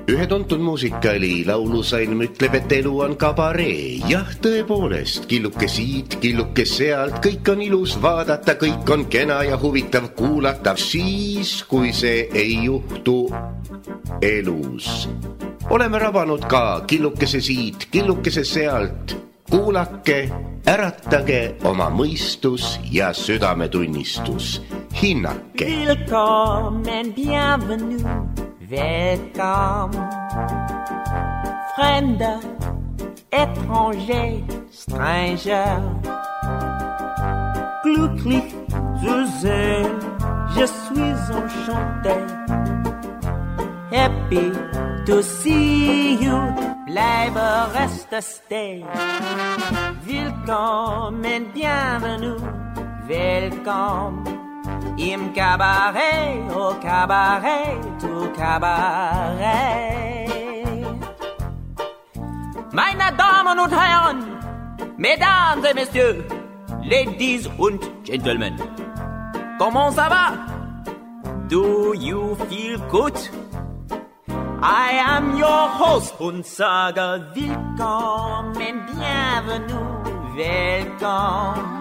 Ühe tuntud muusikaali laulusalm ütleb, et elu on kabaree. Jah, tõepoolest, killuke siit, killuke sealt, kõik on ilus vaadata, kõik on kena ja huvitav kuulata, siis kui see ei juhtu elus. Oleme rabanud ka killukese siit, killukese sealt. Kuulake, äratage oma mõistus ja südametunnistus. Hinnake. Willkommen, bienvenue. Welcome, fremder, étranger, stranger. Glücklich zu sehen, je suis enchanté. Happy to see you, bleibe, reste, stay. Willkommen, bienvenue, welcome. Im Cabaret, au Cabaret, tout Cabaret. Meine Damen und Herren, Mesdames et Messieurs, Ladies und Gentlemen, comment ça va? Do you feel good? I am your host und sage willkommen, bienvenue, welcome.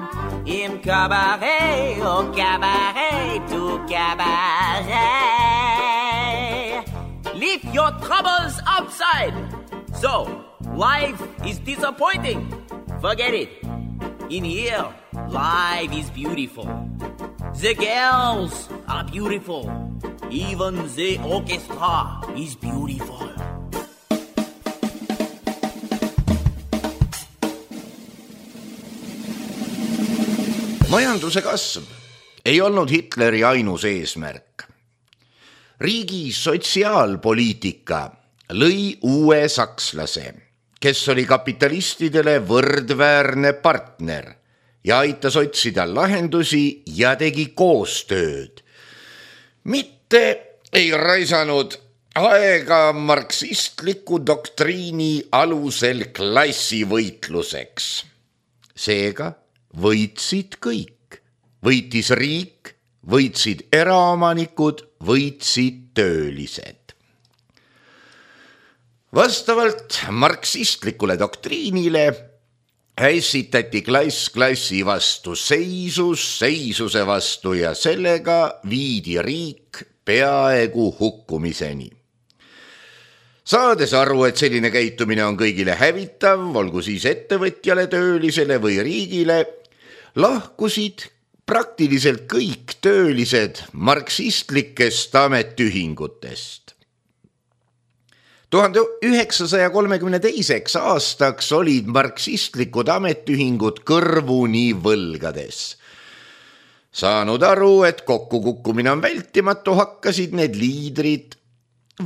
Im Cabaret, au Cabaret, tout Cabaret. Leave your troubles outside. So, life is disappointing. Forget it. In here, life is beautiful. The girls are beautiful. Even the orchestra is beautiful. Majanduse kasv ei olnud Hitleri ainus eesmärk. Riigi sotsiaalpoliitika lõi uue sakslase, kes oli kapitalistidele võrdväärne partner ja aitas otsida lahendusi ja tegi koostööd. Mitte ei raisanud aega marksistliku doktriini alusel klassivõitluseks. Seega võitsid kõik. Võitis riik, võitsid eraomanikud, võitsid töölised. Vastavalt marksistlikule doktriinile ässitati klass klassi vastu seisus, seisuse vastu ja sellega viidi riik peaaegu hukkumiseni. Saades aru, et selline käitumine on kõigile hävitav, olgu siis ettevõtjale, töölisele või riigile, lahkusid praktiliselt kõik töölised marksistlikest ametühingutest. 1932. aastaks olid marksistlikud ametühingud kõrvuni võlgades. Saanud aru, et kokkukukkumine on vältimatu, hakkasid need liidrid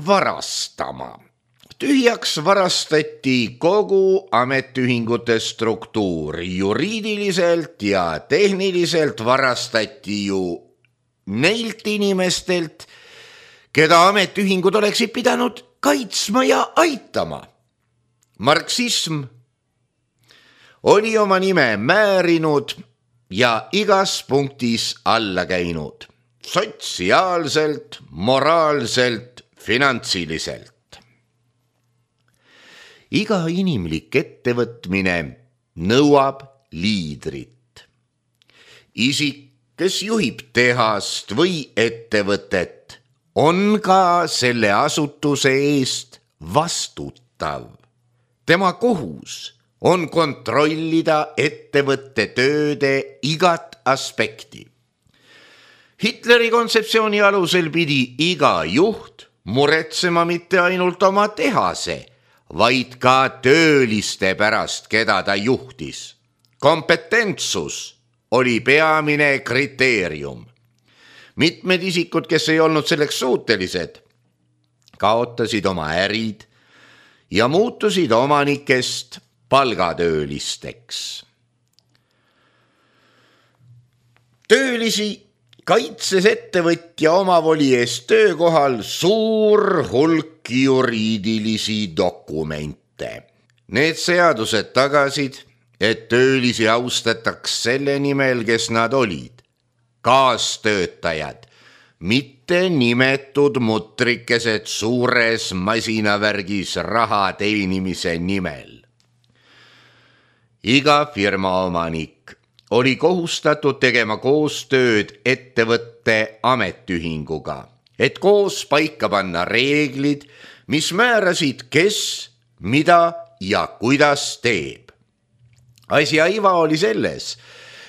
varastama. Tühjaks varastati kogu ametühingute struktuur. Juriidiliselt ja tehniliselt varastati ju neilt inimestelt, keda ametühingud oleksid pidanud kaitsma ja aitama. Marksism oli oma nime määrinud ja igas punktis alla käinud. Sotsiaalselt, moraalselt, finantsiliselt. Iga inimlik ettevõtmine nõuab liidrit. Isik, kes juhib tehast või ettevõtet, on ka selle asutuse eest vastutav. Tema kohus on kontrollida ettevõtte tööde igat aspekti. Hitleri kontseptsiooni alusel pidi iga juht muretsema mitte ainult oma tehase, vaid ka tööliste pärast, keda ta juhtis. Kompetentsus oli peamine kriteerium. Mitmed isikud, kes ei olnud selleks suutelised, kaotasid oma ärid ja muutusid omanikest palgatöölisteks. Töölisi kaitses ettevõtja omavoli eest töökohal suur hulk juriidilisi dokumente. Need seadused tagasid, et töölisi austataks selle nimel, kes nad olid. Kaastöötajad, mitte mitte nimetud mutrikesed suures masinavärgis raha teenimise nimel. Iga firma omanik oli kohustatud tegema koostööd ettevõtte ametiühinguga, et koos paika panna reeglid, mis määrasid, kes, mida ja kuidas teeb. Asja iva oli selles,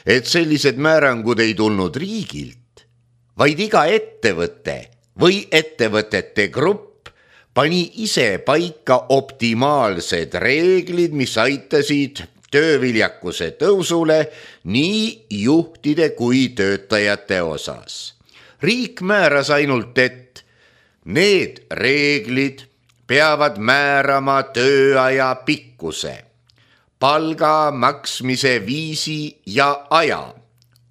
et sellised määrangud ei tulnud riigilt, vaid iga ettevõte või ettevõtete grupp pani ise paika optimaalsed reeglid, mis aitasid tööviljakuse tõusule nii juhtide kui töötajate osas. Riik määras ainult, et need reeglid peavad määrama tööaja pikkuse, palga maksmise viisi ja aja,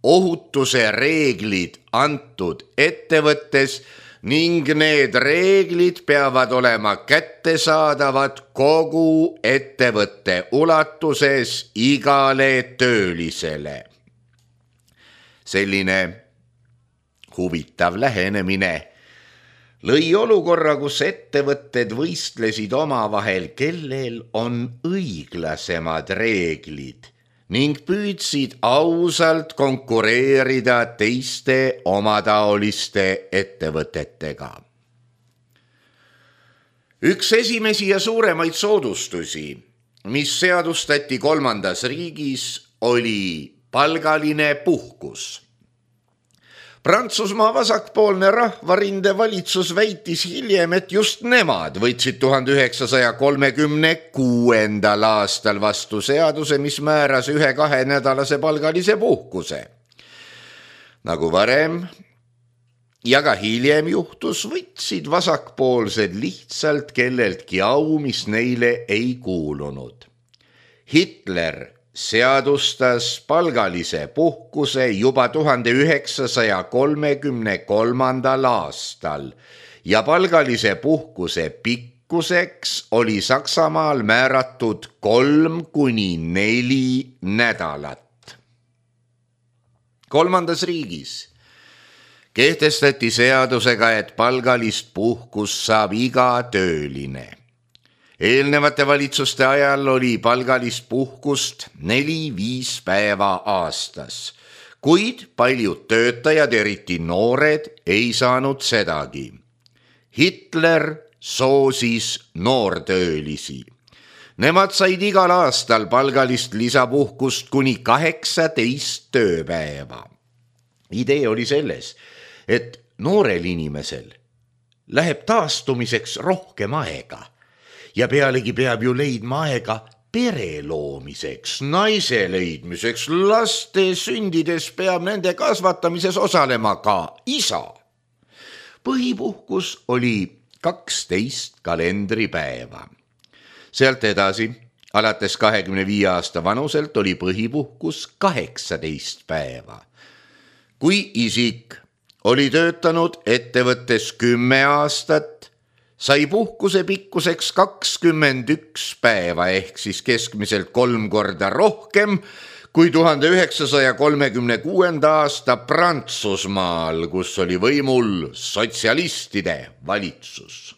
ohutuse reeglid antud ettevõttes ning need reeglid peavad olema kättesaadavad kogu ettevõtte ulatuses igale töölisele. Selline huvitav lähenemine lõi olukorra, kus ettevõtted võistlesid omavahel, kellel on õiglasemad reeglid ning püüdsid ausalt konkureerida teiste omataoliste ettevõtetega. Üks esimesi ja suuremaid soodustusi, mis seadustati 3. riigis, oli palgaline puhkus. Prantsusmaa vasakpoolne rahvarinde valitsus väitis hiljem, et just nemad võtsid 1936. aastal vastu seaduse, mis määras 1-2 nädalase palgalise puhkuse. Nagu varem ja ka hiljem juhtus, võtsid vasakpoolsed lihtsalt kelleltki au, mis neile ei kuulunud. Hitler seadustas palgalise puhkuse juba 1933. aastal ja palgalise puhkuse pikkuseks oli Saksamaal määratud 3-4 nädalat. 3. riigis kehtestati seadusega, et palgalist puhkust saab iga tööline. Eelnevate valitsuste ajal oli palgalist puhkust 4-5 päeva aastas, kuid paljud töötajad, eriti noored, ei saanud sedagi. Hitler soosis noortöölisi. Nemad said igal aastal palgalist lisapuhkust kuni 18 tööpäeva. Idee oli selles, et noorel inimesel läheb taastumiseks rohkem aega. Ja pealegi peab ju leidma aega pere loomiseks, naise leidmiseks, laste sündides peab nende kasvatamises osalema ka isa. Põhipuhkus oli 12 kalendripäeva. Sealt edasi, alates 25 aasta vanuselt oli põhipuhkus 18 päeva. Kui isik oli töötanud ettevõttes 10 aastat, sai puhkuse pikkuseks 21 päeva ehk siis keskmiselt 3 korda rohkem kui 1936. aasta Prantsusmaal, kus oli võimul sotsialistide valitsus.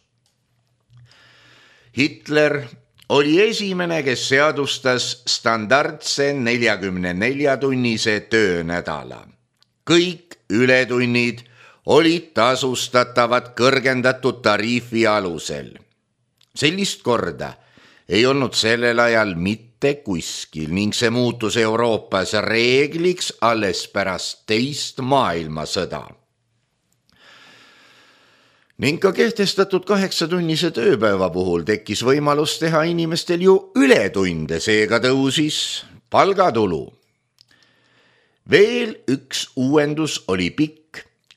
Hitler oli esimene, kes seadustas standardse 44-tunnise töönädala. Kõik ületunnid olid tasustatavad kõrgendatud tariifi alusel. Sellist korda ei olnud sellel ajal mitte kuskil ning see muutus Euroopas reegliks alles pärast teist maailmasõda. Ning ka kehtestatud 8-tunnise tööpäeva puhul tekkis võimalus teha inimestel ju ületunde, seega tõusis palgatulu. Veel üks uuendus oli pikk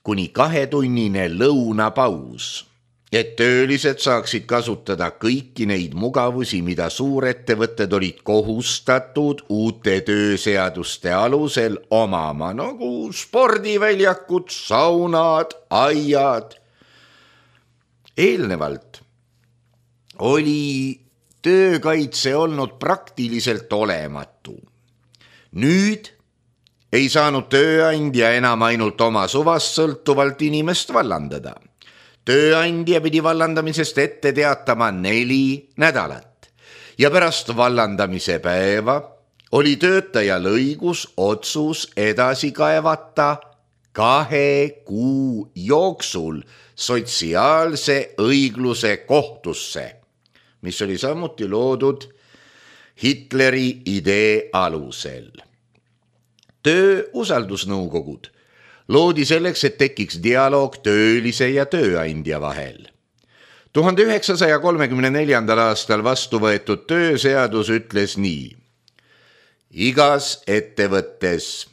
kuni 2-tunnine lõunapaus, et töölised saaksid kasutada kõiki neid mugavusi, mida suurettevõtted olid kohustatud uute tööseaduste alusel omama, nagu spordiväljakud, saunad, aiad. Eelnevalt oli töökaitse olnud praktiliselt olematu. Nüüd ei saanud tööandja enam ainult oma suvast sõltuvalt inimest vallandada. Tööandja pidi vallandamisest ette teatama 4 nädalat ja pärast vallandamise päeva oli töötajal õigus otsus edasi kaevata 2 kuu jooksul sotsiaalse õigluse kohtusse, mis oli samuti loodud Hitleri idee alusel. Töö usaldusnõukogud loodi selleks, et tekiks dialoog töölise ja tööandja vahel. 1934. aastal vastu võetud tööseadus ütles nii: igas ettevõttes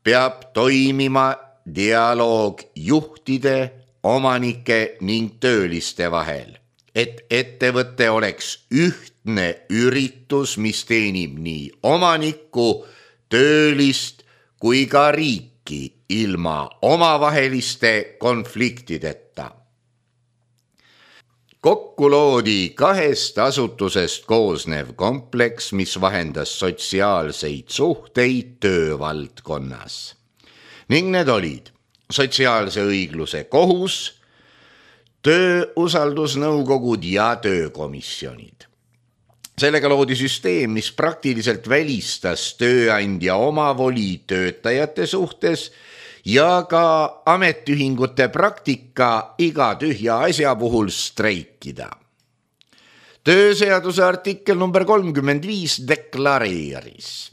peab toimima dialoog juhtide, omanike ning tööliste vahel, et ettevõte oleks ühtne üritus, mis teenib nii omanikku, töölist kui ka riiki ilma omavaheliste konfliktideta. Kokku loodi 2 asutusest koosnev kompleks, mis vahendas sotsiaalseid suhteid töövaldkonnas. Ning need olid sotsiaalse õigluse kohus, töö usaldusnõukogud ja töökomisjonid. Sellega loodi süsteem, mis praktiliselt välistas tööandja omavoli töötajate suhtes ja ka ametiühingute praktika iga tühja asja puhul streikida. Tööseaduse artikkel number 35 deklareeris: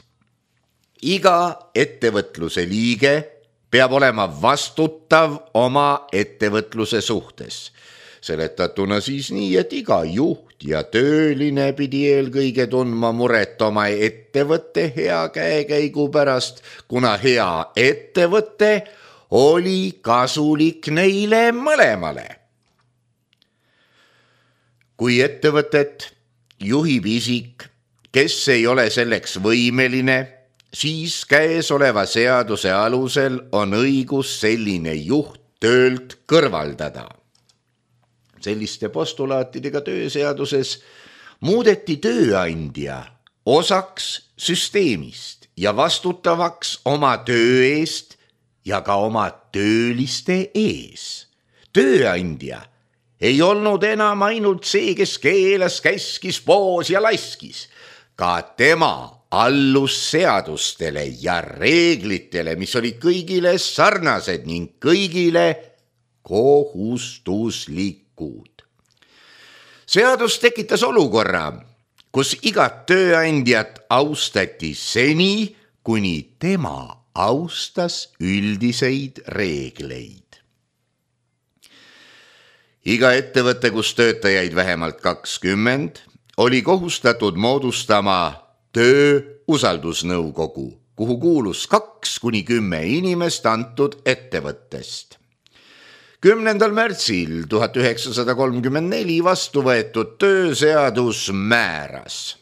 iga ettevõtluse liige peab olema vastutav oma ettevõtluse suhtes. Seletatuna siis nii, et iga juht ja tööline pidi eelkõige tundma muret oma ettevõtte hea käekäigu pärast, kuna hea ettevõte oli kasulik neile mõlemale. Kui ettevõtet juhib isik, kes ei ole selleks võimeline, siis käesoleva seaduse alusel on õigus selline juht töölt kõrvaldada. Selliste postulaatidega tööseaduses muudeti tööandja osaks süsteemist ja vastutavaks oma töö eest ja ka oma tööliste ees. Tööandja ei olnud enam ainult see, kes keelas, käskis, poos ja laskis. Ka tema allus seadustele ja reeglitele, mis olid kõigile sarnased ning kõigile kohustuslikud. Seadus tekitas olukorra, kus igat tööandjat austati seni, kuni tema austas üldiseid reegleid. Iga ettevõte, kus töötajaid vähemalt 20, oli kohustatud moodustama töö usaldusnõukogu, kuhu kuulus 2–10 inimest antud ettevõttest. 10. märtsil 1934 vastu võetud tööseadus määras: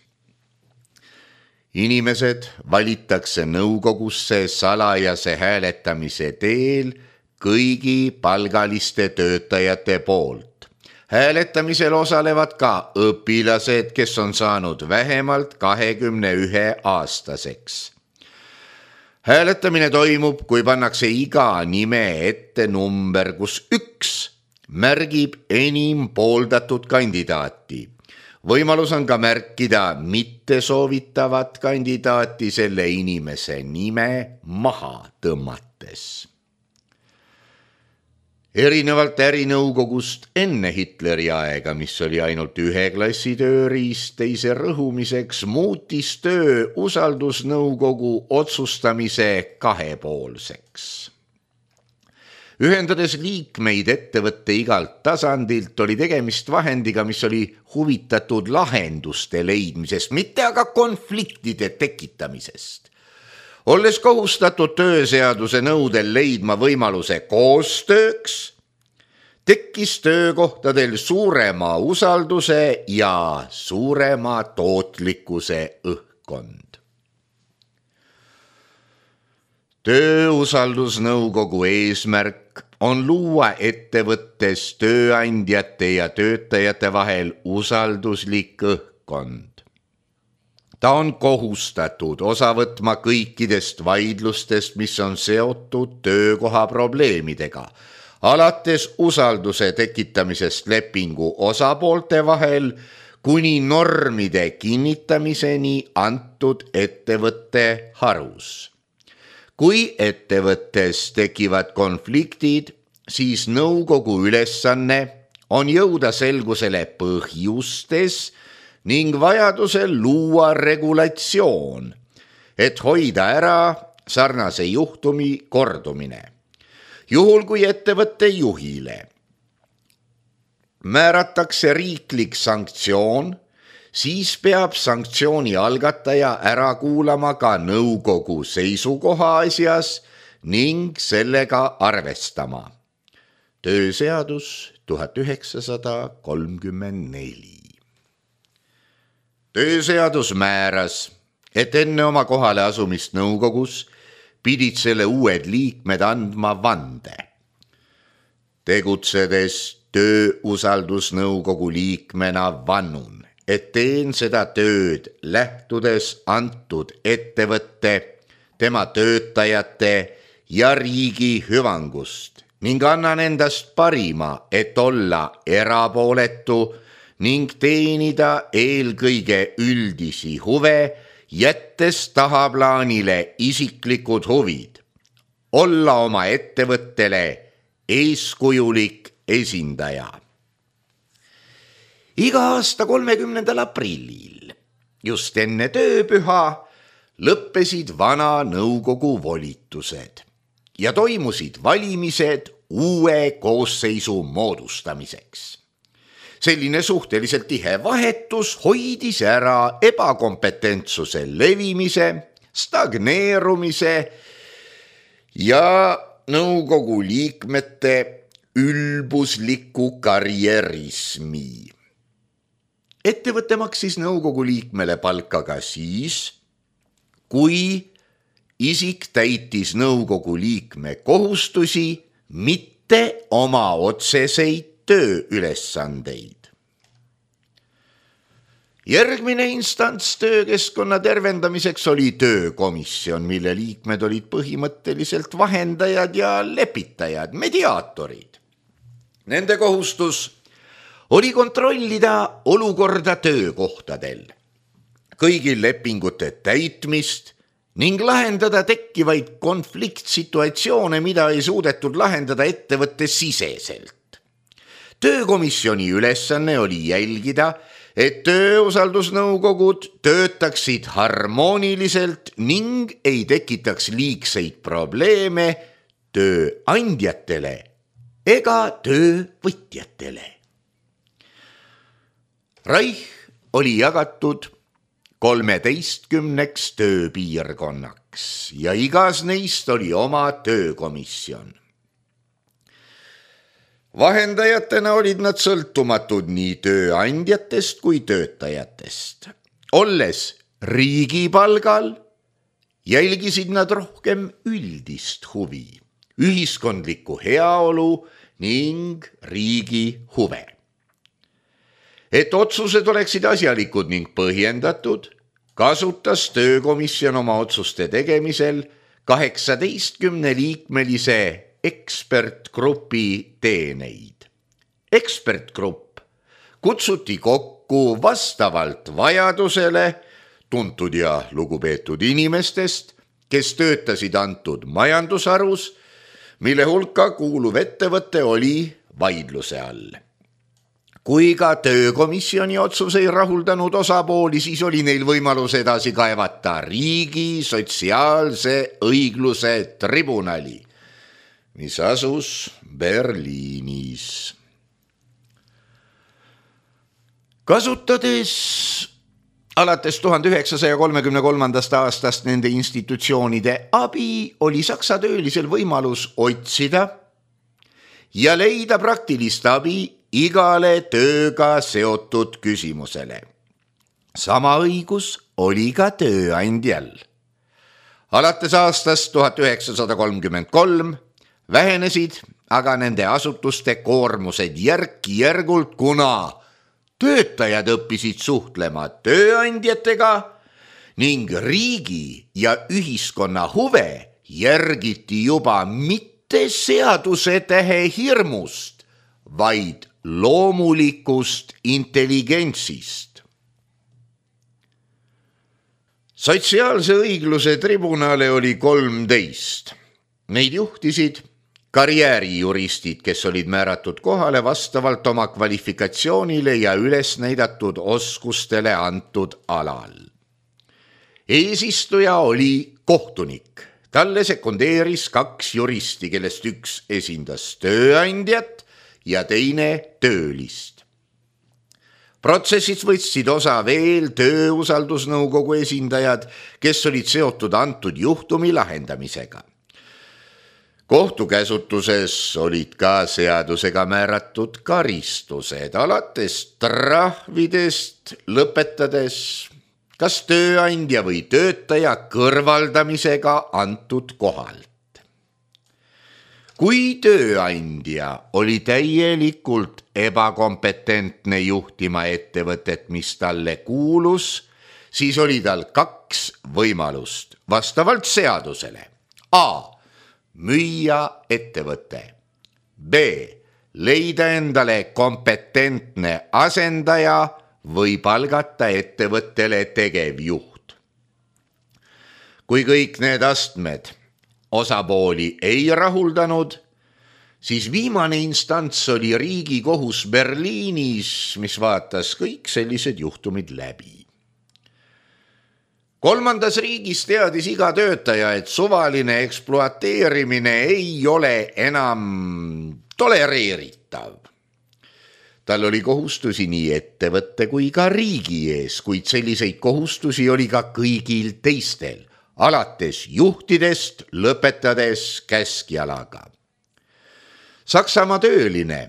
inimesed valitakse nõukogusse salajase hääletamise teel kõigi palgaliste töötajate poolt. Hääletamisel osalevad ka õpilased, kes on saanud vähemalt 21-aastaseks. Hääletamine toimub, kui pannakse iga nime ette number, kus 1 märgib enim pooldatud kandidaati. Võimalus on ka märkida mitte soovitavat kandidaati selle inimese nime maha tõmmates. Erinevalt ärinõukogust enne Hitleri aega, mis oli ainult 1 klassi tööriist teise rõhumiseks, muutis töö usaldusnõukogu otsustamise 2-poolseks. Ühendades liikmeid ettevõtte igalt tasandilt oli tegemist vahendiga, mis oli huvitatud lahenduste leidmisest, mitte aga konfliktide tekitamisest. Olles kohustatud tööseaduse nõudel leidma võimaluse koostööks, tekkis töökohtadel suurema usalduse ja suurema tootlikkuse õhkkond. Töö usaldusnõukogu eesmärk on luua ettevõttes tööandjate ja töötajate vahel usalduslik õhkkond. Ta on kohustatud osa võtma kõikidest vaidlustest, mis on seotud töökoha probleemidega, alates usalduse tekitamisest lepingu osapoolte vahel kuni normide kinnitamiseni antud ettevõtte harus. Kui ettevõttes tekivad konfliktid, siis nõukogu ülesanne on jõuda selgusele põhjustes ning vajadusel luua regulatsioon, et hoida ära sarnase juhtumi kordumine. Juhul kui ettevõtte juhile määratakse riiklik sanktsioon, siis peab sanktsiooni algataja ära kuulama ka nõukogu seisukoha asjas ning sellega arvestama. Tööseadus 1934. Tööseadus määras, et enne oma kohale asumist nõukogus pidid selle uued liikmed andma vande. Tegutsedes tööusaldusnõukogu liikmena vannun, et teen seda tööd lähtudes antud ettevõtte, tema töötajate ja riigi hüvangust ning annan endast parima, et olla erapooletu ning teenida eelkõige üldisi huve, jättes tahaplaanile isiklikud huvid, olla oma ettevõttele eeskujulik esindaja. Iga aasta 30. aprillil, just enne tööpüha, lõppesid vana nõukogu volitused ja toimusid valimised uue koosseisu moodustamiseks. Selline suhteliselt tihe vahetus hoidis ära ebakompetentsuse levimise, stagneerumise ja nõukogu liikmete ülbusliku karjärismi. Ettevõte maksis nõukogu liikmele palka ka siis, kui isik täitis nõukogu liikme kohustusi, mitte oma otseseid tööülesandeid. Järgmine instants töökeskkonna tervendamiseks oli töökomisjon, mille liikmed olid põhimõtteliselt vahendajad ja lepitajad, mediaatorid. Nende kohustus oli kontrollida olukorda töökohtadel, kõigil lepingute täitmist ning lahendada tekkivaid konfliktsituatsioone, mida ei suudetud lahendada ettevõtte siseselt. Töökomisjoni ülesanne oli jälgida, et tööusaldusnõukogud töötaksid harmooniliselt ning ei tekitaks liigseid probleeme tööandjatele ega töövõtjatele. Reich oli jagatud 13 tööpiirkonnaks ja igas neist oli oma töökomisjon. Vahendajatena olid nad sõltumatud nii tööandjatest kui töötajatest. Olles riigipalgal, jälgisid nad rohkem üldist huvi, ühiskondlikku heaolu ning riigi huve. Et otsused oleksid asjalikud ning põhjendatud, kasutas töökomisjon oma otsuste tegemisel 18-liikmelise ekspertgrupi teeneid. Ekspertgrupp kutsuti kokku vastavalt vajadusele tuntud ja lugupeetud inimestest, kes töötasid antud majandusharus, mille hulka kuuluv ettevõte oli vaidluse all. Kui ka töökomisjoni otsus ei rahuldanud osapooli, siis oli neil võimalus edasi kaevata riigi sotsiaalse õigluse tribunali, mis asus Berliinis. Kasutades alates 1933. aastast nende institutsioonide abi, oli Saksa töölisel võimalus otsida ja leida praktilist abi igale tööga seotud küsimusele. Sama õigus oli ka tööandjal. Alates aastast 1933 vähenesid aga nende asutuste koormused järk-järgult, kuna töötajad õppisid suhtlema tööandjatega ning riigi ja ühiskonna huve järgiti juba mitte seaduse tähe hirmust, vaid loomulikust intelligentsist. Sotsiaalse õigluse tribunale oli 13. Neid juhtisid karjäärijuristid, kes olid määratud kohale vastavalt oma kvalifikatsioonile ja üles näidatud oskustele antud alal. Eesistuja oli kohtunik. Talle sekundeeris 2 juristi, kellest üks esindas tööandjat ja teine töölist. Protsessis võtsid osa veel tööusaldusnõukogu esindajad, kes olid seotud antud juhtumi lahendamisega. Kohtukäsutuses olid ka seadusega määratud karistused, alates trahvidest lõpetades kas tööandja või töötaja kõrvaldamisega antud kohalt. Kui tööandja oli täielikult ebakompetentne juhtima ettevõtet, mis talle kuulus, siis oli tal 2 võimalust vastavalt seadusele. A. Müüa ettevõte. B. Leida endale kompetentne asendaja või palgata ettevõttele tegevjuht. Kui kõik need astmed osapooli ei rahuldanud, siis viimane instants oli Riigikohus Berliinis, mis vaatas kõik sellised juhtumid läbi. 3. riigis teadis iga töötaja, et suvaline ekspluateerimine ei ole enam tolereeritav. Tal oli kohustusi nii ettevõtte kui ka riigi ees, kuid selliseid kohustusi oli ka kõigil teistel, alates juhtidest lõpetades käskjalaga. Saksamaa tööline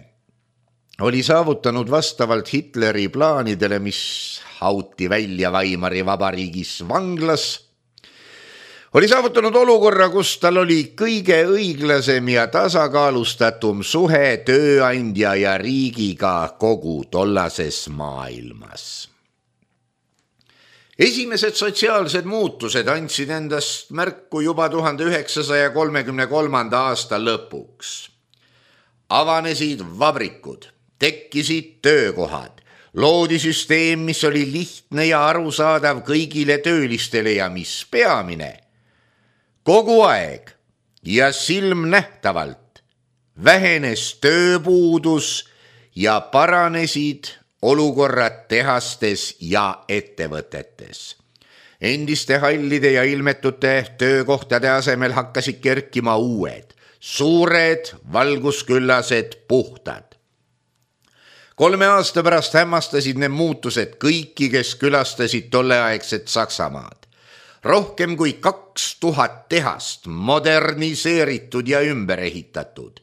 oli saavutanud vastavalt Hitleri plaanidele, mis hauti välja Weimari vabariigis vanglas, oli saavutanud olukorra, kus tal oli kõige õiglasem ja tasakaalustatum suhe tööandja ja riigiga kogu tollases maailmas. Esimesed sotsiaalsed muutused andsid endast märku juba 1933. aasta lõpuks. Avanesid vabrikud, tekkisid töökohad, loodi süsteem, mis oli lihtne ja arusaadav kõigile töölistele ja mis peamine, kogu aeg ja silmnähtavalt vähenes tööpuudus ja paranesid olukorrad tehastes ja ettevõtetes. Endiste hallide ja ilmetute töökohtade asemel hakkasid kerkima uued, suured, valgusküllased, puhtad. 3 aasta pärast hämmastasid need muutused kõiki, kes külastasid tolleaegset Saksamaad. Rohkem kui 2000 tehast moderniseeritud ja ümber ehitatud.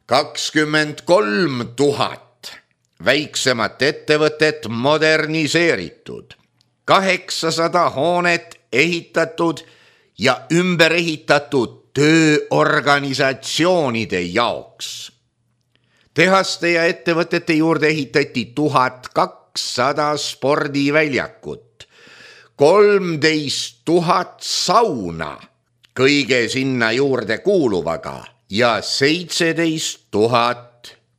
23 000 väiksemat ettevõtet moderniseeritud. 800 hoonet ehitatud ja ümber ehitatud tööorganisatsioonide jaoks. Tehaste ja ettevõtete juurde ehitati 1200 spordiväljakut, 13 000 sauna kõige sinna juurde kuuluvaga ja 17 000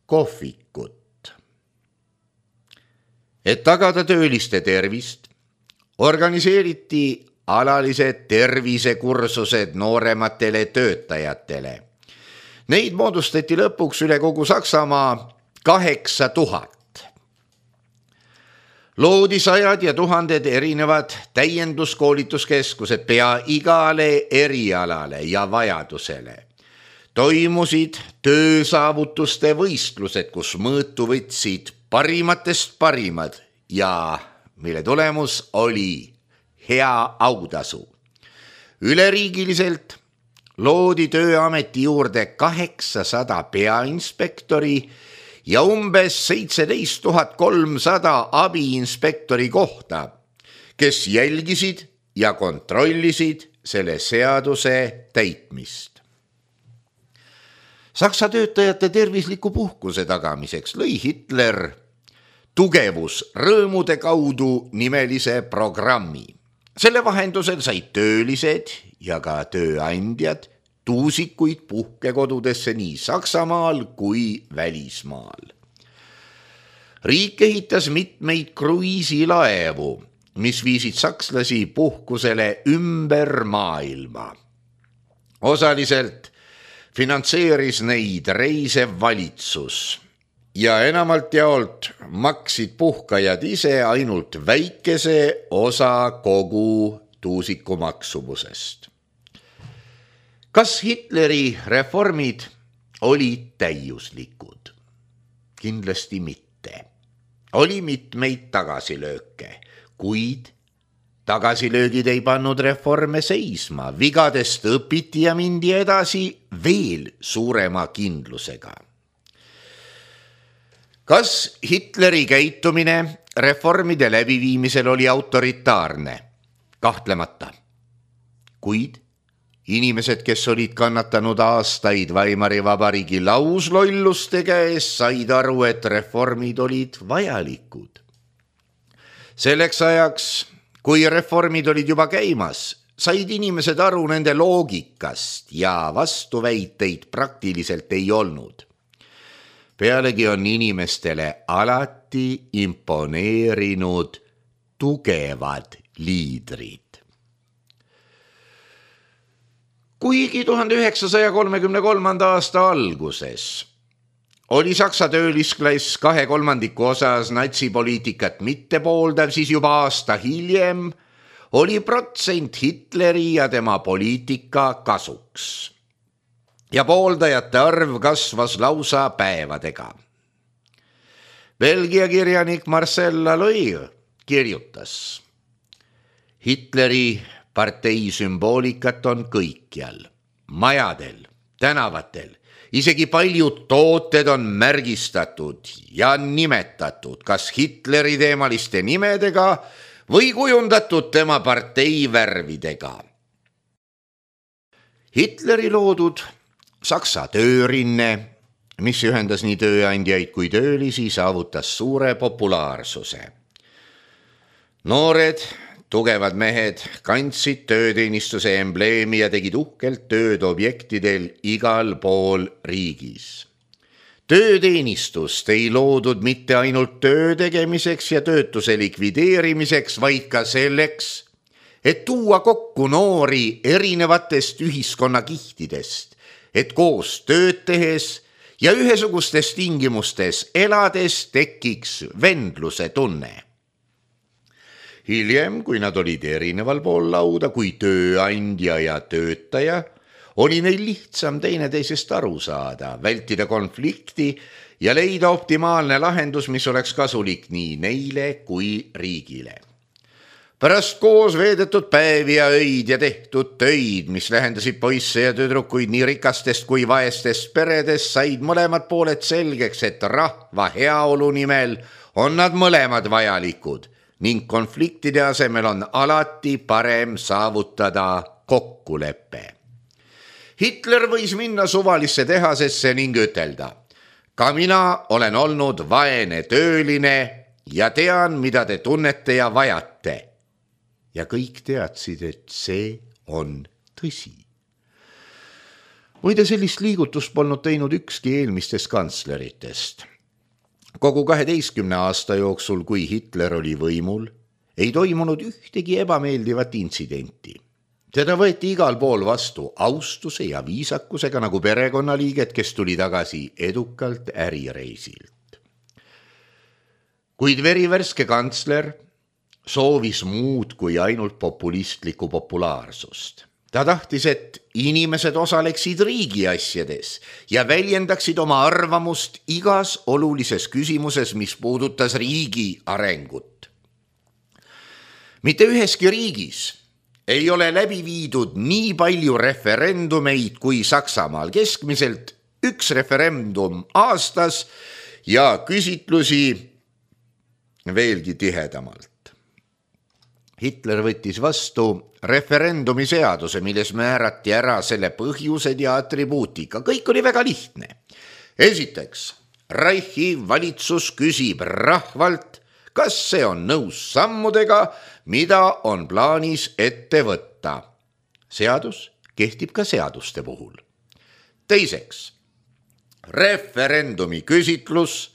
kohvikut. Et tagada tööliste tervist, organiseeriti alalised tervisekursused noorematele töötajatele. Neid moodustati lõpuks üle kogu Saksamaa 8000. Loodi 100 ja 1000 erinevad täienduskoolituskeskused pea igale erialale ja vajadusele. Toimusid töösaavutuste võistlused, kus mõõtu võtsid parimatest parimad ja mille tulemus oli hea autasu. Üleriigiliselt loodi Tööameti juurde 800 peainspektori ja umbes 17 300 abiinspektori kohta, kes jälgisid ja kontrollisid selle seaduse täitmist. Saksa töötajate tervisliku puhkuse tagamiseks lõi Hitler tugevus rõõmude kaudu nimelise programmi, Selle vahendusel said töölised ja ka tööandjad tuusikuid puhkekodudesse nii Saksamaal kui välismaal. Riik ehitas mitmeid kruiisilaevu, mis viisid sakslasi puhkusele ümber maailma. Osaliselt finantseeris neid reisev valitsus ja enamalt jaolt maksid puhkajad ise ainult väikese osa kogu tuusiku maksumusest. Kas Hitleri reformid olid täiuslikud? Kindlasti mitte. Oli mitmeid tagasilööke, kuid tagasilöögid ei pannud reforme seisma, vigadest õpiti ja mindi edasi veel suurema kindlusega. Kas Hitleri käitumine reformide läbiviimisel oli autoritaarne? Kahtlemata. Kuid inimesed, kes olid kannatanud aastaid Weimari Vabariigi lauslolluste käes, said aru, et reformid olid vajalikud. Selleks ajaks, kui reformid olid juba käimas, said inimesed aru nende loogikast ja vastuväiteid praktiliselt ei olnud. Pealegi on inimestele alati imponeerinud tugevad liidrid. Kuigi 1933. aasta alguses oli Saksa töölisklass 2/3 osas natsipoliitikat mitte pooldav, siis juba aasta hiljem oli protsent Hitleri ja tema poliitika kasuks. Ja pooldajate arv kasvas lausa päevadega. Belgia kirjanik Marcel Laloy kirjutas: Hitleri partei sümboolikat on kõikjal, majadel, tänavatel, isegi paljud tooted on märgistatud ja nimetatud kas Hitleri teemaliste nimedega või kujundatud tema partei värvidega. Hitleri loodud Saksa töörinne, mis ühendas nii tööandjaid kui töölisi, saavutas suure populaarsuse. Noored, tugevad mehed kandsid tööteenistuse embleemi ja tegid uhkelt tööd objektidel igal pool riigis. Tööteenistust ei loodud mitte ainult töö tegemiseks ja töötuse likvideerimiseks, vaid ka selleks, et tuua kokku noori erinevatest ühiskonnakihtidest, et koos tööd tehes ja ühesugustes tingimustes elades tekiks vendluse tunne. Hiljem, kui nad olid erineval pool lauda kui tööandja ja töötaja, oli neil lihtsam teineteisest aru saada, vältida konflikti ja leida optimaalne lahendus, mis oleks kasulik nii neile kui riigile. Pärast koos veedetud päevi ja öid ja tehtud töid, mis lähendasid poisse ja tüdrukuid nii rikastest kui vaestest peredest, said mõlemad pooled selgeks, et rahva heaolu nimel on nad mõlemad vajalikud ning konfliktide asemel on alati parem saavutada kokkulepe. Hitler võis minna suvalisse tehasesse ning ütelda: ka mina olen olnud vaene tööline ja tean, mida te tunnete ja vajate. Ja kõik teadsid, et see on tõsi. Muide, sellist liigutust polnud teinud ükski eelmistest kantsleritest. Kogu 12 aasta jooksul, kui Hitler oli võimul, ei toimunud ühtegi ebameeldivat intsidenti. Teda võeti igal pool vastu austuse ja viisakusega nagu perekonnaliiget, kes tuli tagasi edukalt ärireisilt. Kuid verivärske kantsler soovis muud kui ainult populistlikku populaarsust. Ta tahtis, et inimesed osaleksid riigi asjades ja väljendaksid oma arvamust igas olulises küsimuses, mis puudutas riigi arengut. Mitte üheski riigis ei ole läbi viidud nii palju referendumeid kui Saksamaal, keskmiselt 1 referendum aastas ja küsitlusi veelgi tihedamalt. Hitler võttis vastu referendumi seaduse, milles määrati ära selle põhjused ja atribuutika. Kõik oli väga lihtne. Esiteks, Reichi valitsus küsib rahvalt, kas see on nõus sammudega, mida on plaanis ette võtta. Seadus kehtib ka seaduste puhul. Teiseks, referendumi küsitlus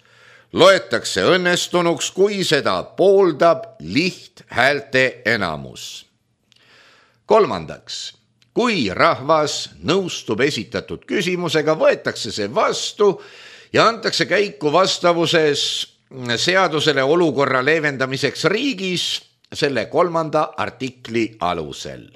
loetakse õnnestunuks, kui seda pooldab lihthäälte enamus. Kolmandaks, kui rahvas nõustub esitatud küsimusega, võetakse see vastu ja antakse käiku vastavuses seadusele olukorra leevendamiseks riigis selle 3. artikli alusel.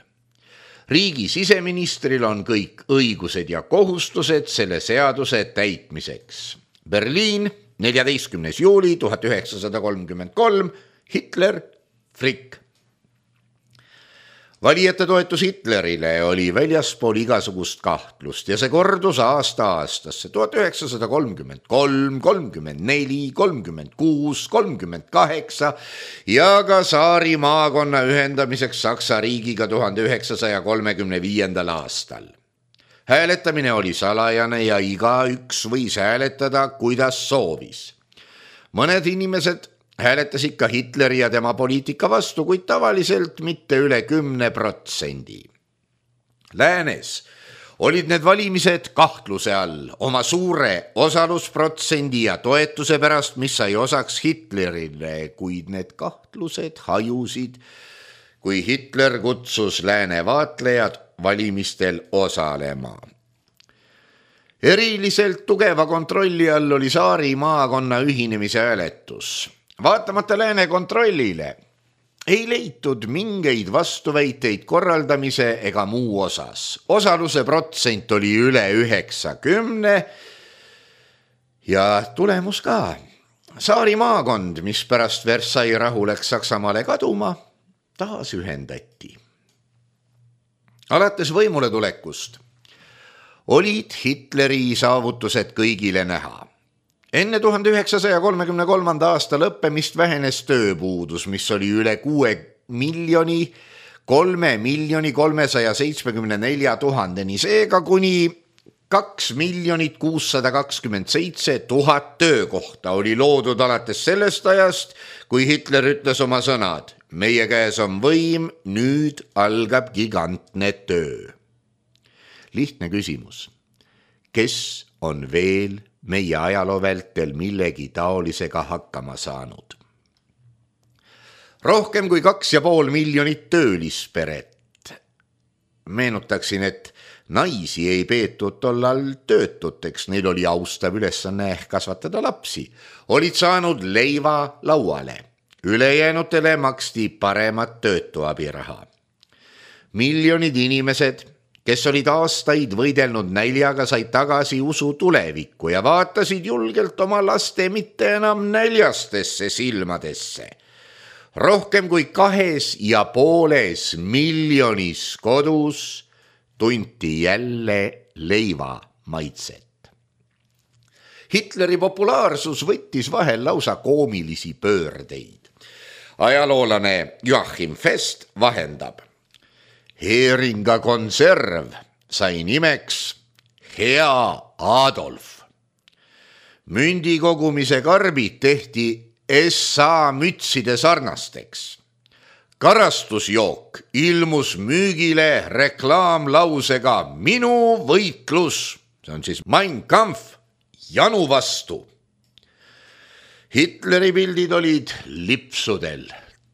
Riigi siseministril on kõik õigused ja kohustused selle seaduse täitmiseks. Berliin, 14. juuli 1933, Hitler, Frick. Valijate toetus Hitlerile oli väljaspool igasugust kahtlust ja see kordus aasta-aastasse 1933, 34, 36, 38 ja ka Saari maakonna ühendamiseks Saksa riigiga 1935. aastal. Hääletamine oli salajane ja igaüks võis hääletada, kuidas soovis. Mõned inimesed hääletasid ka Hitleri ja tema poliitika vastu, kuid tavaliselt mitte üle 10%. Läänes olid need valimised kahtluse all oma suure osalusprotsendi ja toetuse pärast, mis sai osaks Hitlerile, kuid need kahtlused hajusid, kui Hitler kutsus lääne vaatlejad valimistel osalema. Eriliselt tugeva kontrolli all oli Saari maakonna ühinemise hääletus. Vaatamata lääne kontrollile ei leitud mingeid vastuväiteid korraldamise ega muu osas. Osaluse protsent oli üle 90 ja tulemus ka. Saari maakond, mis pärast Versailles rahu läks Saksamaale kaduma, taas ühendati. Alates võimule tulekust olid Hitleri saavutused kõigile näha. Enne 1933. aasta lõppemist vähenes tööpuudus, mis oli üle 6 374 000, seega kuni 2 627 000 töökohta oli loodud alates sellest ajast, kui Hitler ütles oma sõnad: meie käes on võim, nüüd algab gigantne töö. Lihtne küsimus. Kes on veel meie ajaloo vältel millegi taolisega hakkama saanud? Rohkem kui 2,5 miljonit töölisperet. Meenutaksin, et naisi ei peetud tollal töötuteks, neil oli austav ülesanne kasvatada lapsi. Olid saanud leiva lauale. Ülejäänutele maksti paremat töötuabiraha. Miljonid inimesed, kes olid aastaid võidelnud näljaga, said tagasi usu tulevikku ja vaatasid julgelt oma laste mitte enam näljastesse silmadesse. Rohkem kui 2,5 miljonis kodus tunti jälle leiva maitset. Hitleri populaarsus võttis vahel lausa koomilisi pöördeid. Ajaloolane Joachim Fest vahendab. Heeringa konserv sai nimeks Hea Adolf. Mündikogumise karbid tehti SA mütside sarnasteks. Karastusjook ilmus müügile reklaamlausega minu võitlus, see on siis Mein Kampf, janu vastu. Hitleri pildid olid lipsudel,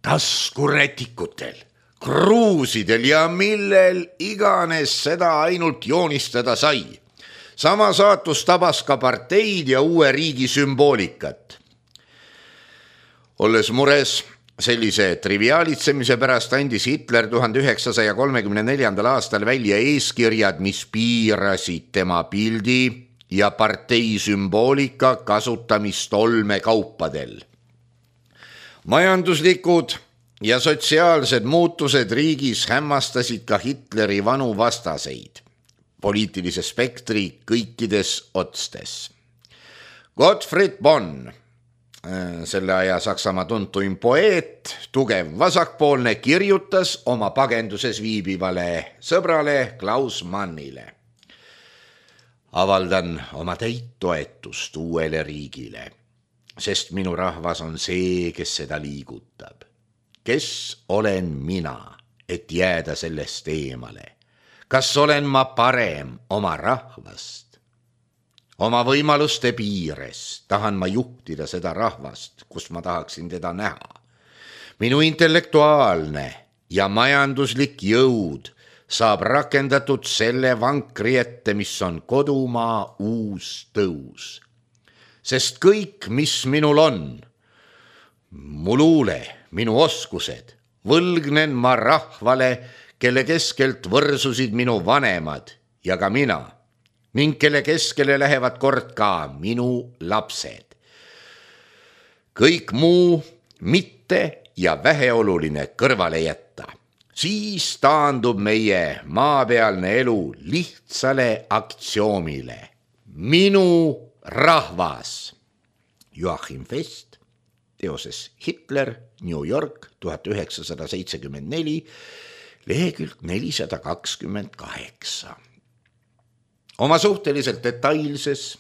taskurätikutel, kruusidel ja millel iganes seda ainult joonistada sai. Sama saatus tabas ka parteid ja uue riigi sümboolikat. Olles mures sellise triviaalitsemise pärast, andis Hitler 1934. aastal välja eeskirjad, mis piirasid tema pildi ja partei sümboolika kasutamist olmekaupadel. Majanduslikud ja sotsiaalsed muutused riigis hämmastasid ka Hitleri vanu vastaseid, poliitilise spektri kõikides otstes. Gottfried Bonn, selle aja Saksamaa tuntuim poeet, tugev vasakpoolne, kirjutas oma pagenduses viibivale sõbrale Klaus Mannile. Avaldan oma täit toetust uuele riigile. sest minu rahvas on see, kes seda liigutab. Kes olen mina, et jääda sellest eemale? Kas olen ma parem oma rahvast? Oma võimaluste piires tahan ma juhtida seda rahvast, kus ma tahaksin teda näha. Minu intellektuaalne ja majanduslik jõud saab rakendatud selle vankri ette, mis on kodumaa uus tõus. Sest kõik, mis minul on, mu luule, minu oskused, võlgnen ma rahvale, kelle keskelt võrsusid minu vanemad ja ka mina, ning kelle keskele lähevad kord ka minu lapsed. Kõik muu mitte ja väheoluline kõrvale jätta. Siis taandub meie maapealne elu lihtsale aktsioomile. Minu rahvas. Joachim Fest, teoses Hitler, New York, 1974, lehekülg 428. Oma suhteliselt detailses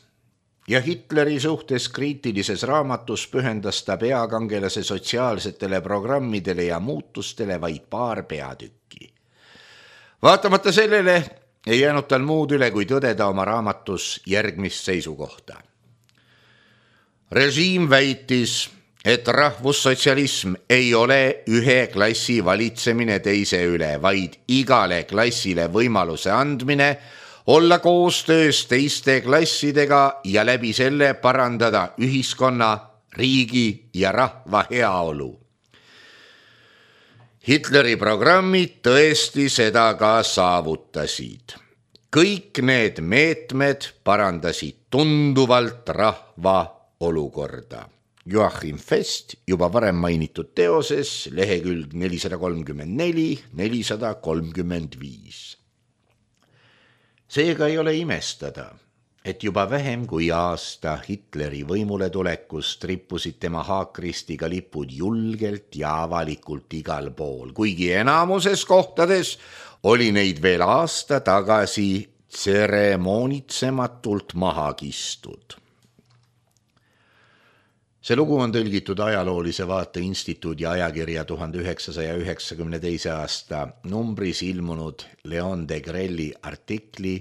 ja Hitleri suhtes kriitilises raamatus pühendas ta peakangelase sotsiaalsetele programmidele ja muutustele vaid paar peatükki. Vaatamata sellele ei jäänud tal muud üle, kui tõdeda oma raamatus järgmist seisukohta. Režiim väitis, et rahvussotsialism ei ole ühe klassi valitsemine teise üle, vaid igale klassile võimaluse andmine olla koostöös teiste klassidega ja läbi selle parandada ühiskonna, riigi ja rahva heaolu. Hitleri programmid tõesti seda ka saavutasid. Kõik need meetmed parandasid tunduvalt rahva olukorda. Joachim Fest juba varem mainitud teoses, lehekülg 434-435. Seega ei ole imestada, et juba vähem kui aasta Hitleri võimule tulekust rippusid tema haakristiga lipud julgelt ja avalikult igal pool, kuigi enamuses kohtades oli neid veel aasta tagasi tseremoonitsematult maha kistud. See lugu on tõlgitud Ajaloolise Vaate Instituudi ajakirja 1992. aasta numbris ilmunud Leon Degrelli artikli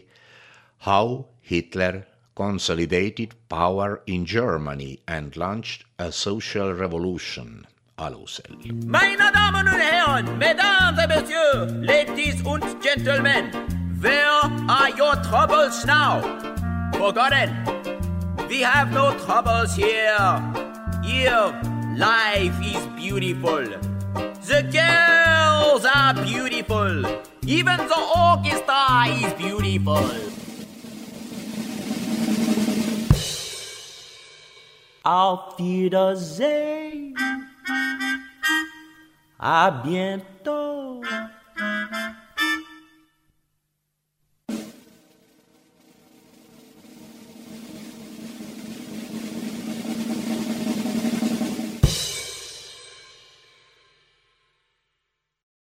How Hitler Consolidated Power in Germany and Launched a Social Revolution alusel. Meine Damen und Herren, Mesdames et Messieurs, Ladies und Gentlemen, where are your troubles now? Forgotten, we have no troubles here. Here, life is beautiful. The girls are beautiful. Even the orchestra is beautiful. Auf Wiedersehen. À bientôt.